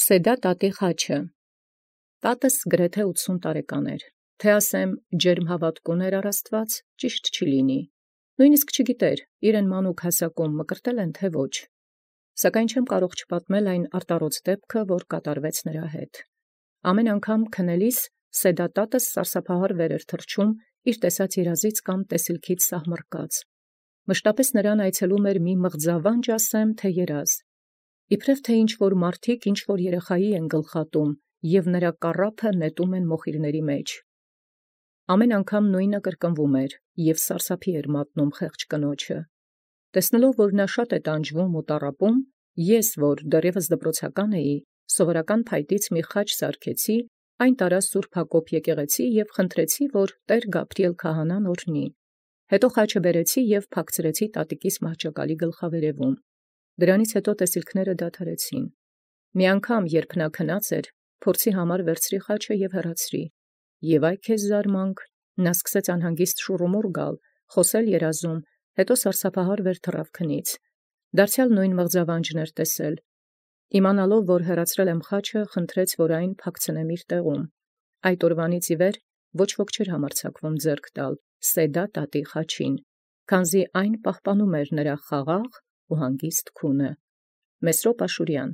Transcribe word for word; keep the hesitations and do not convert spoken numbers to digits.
Սեդա տատի խաչը։ Տատս գրեթե ութսուն տարեկան էր, թե ասեմ ջերմ հաւատք ունէր առ Աստուած, ճիշտ չի լինի. նոյնիսկ չգիտէր իրեն մանուկ հասակում մկրտել են թե ոչ. սակայն չեմ կարող չպատմել այն արտառոց դեպքը, որ կատարվեց նրա հետ։ Ամեն անգամ քնելիս Սեդա տատս սարսափահար վեր էր թռչում իր տեսած երազից կամ տեսիլքից սահմռկած։ Մշտապես նրան այցելում էր մի մղձավանջ ասեմ, թե երազ։ Իբրև թե ինչ-որ մարդիկ ինչ-որ երեխայի են գլխատում և նրա կառափը նետում են մոխիրների մեջ։ Ամեն անգամ նույնը կրկնվում էր և սարսափի էր մատնում խեղճ կնոջը։ Տեսնելով, որ նա շատ է տանջվում ու տառապում, ես, որ դեռևս դպրոցական էի, սովորական փայտից մի խաչ սարքեցի, այն տարա Սուրբ Հակոբ եկեղեցի և խնդրեցի, որ տեր Գաբրիել քահանան օրհնի։ Հետո խաչը բերեցի և փակցրեցի տատիկիս մահճակալի գլխավերևում։ Դրանից հետո տեսիլքները դադարեցին։ Մի անգամ, երբ նա քնած էր, փորձի համար վերցրի խաչը և հեռացրի։ Եվ այ քեզ զարմանք, նա սկսեց անհանգիստ շուռումուռ գալ, խոսել երազում, հետո սարսափահար վեր թռավ քնից։ Դարձյալ նույն մղձավանջն էր տեսել։ Իմանալով, որ հեռացրել եմ խաչը, խնդրեց, որ այն փակցնեմ իր տեղում։ Այդ օրվանից ի վեր ոչ ոք չէր համարձակվում ձեռք տալ Սեդա տատի խաչին, քանզի այն պահպանում էր նրա խաղաղ ու հանգիստ քունը։ Մեսրոպ Աշուրյան։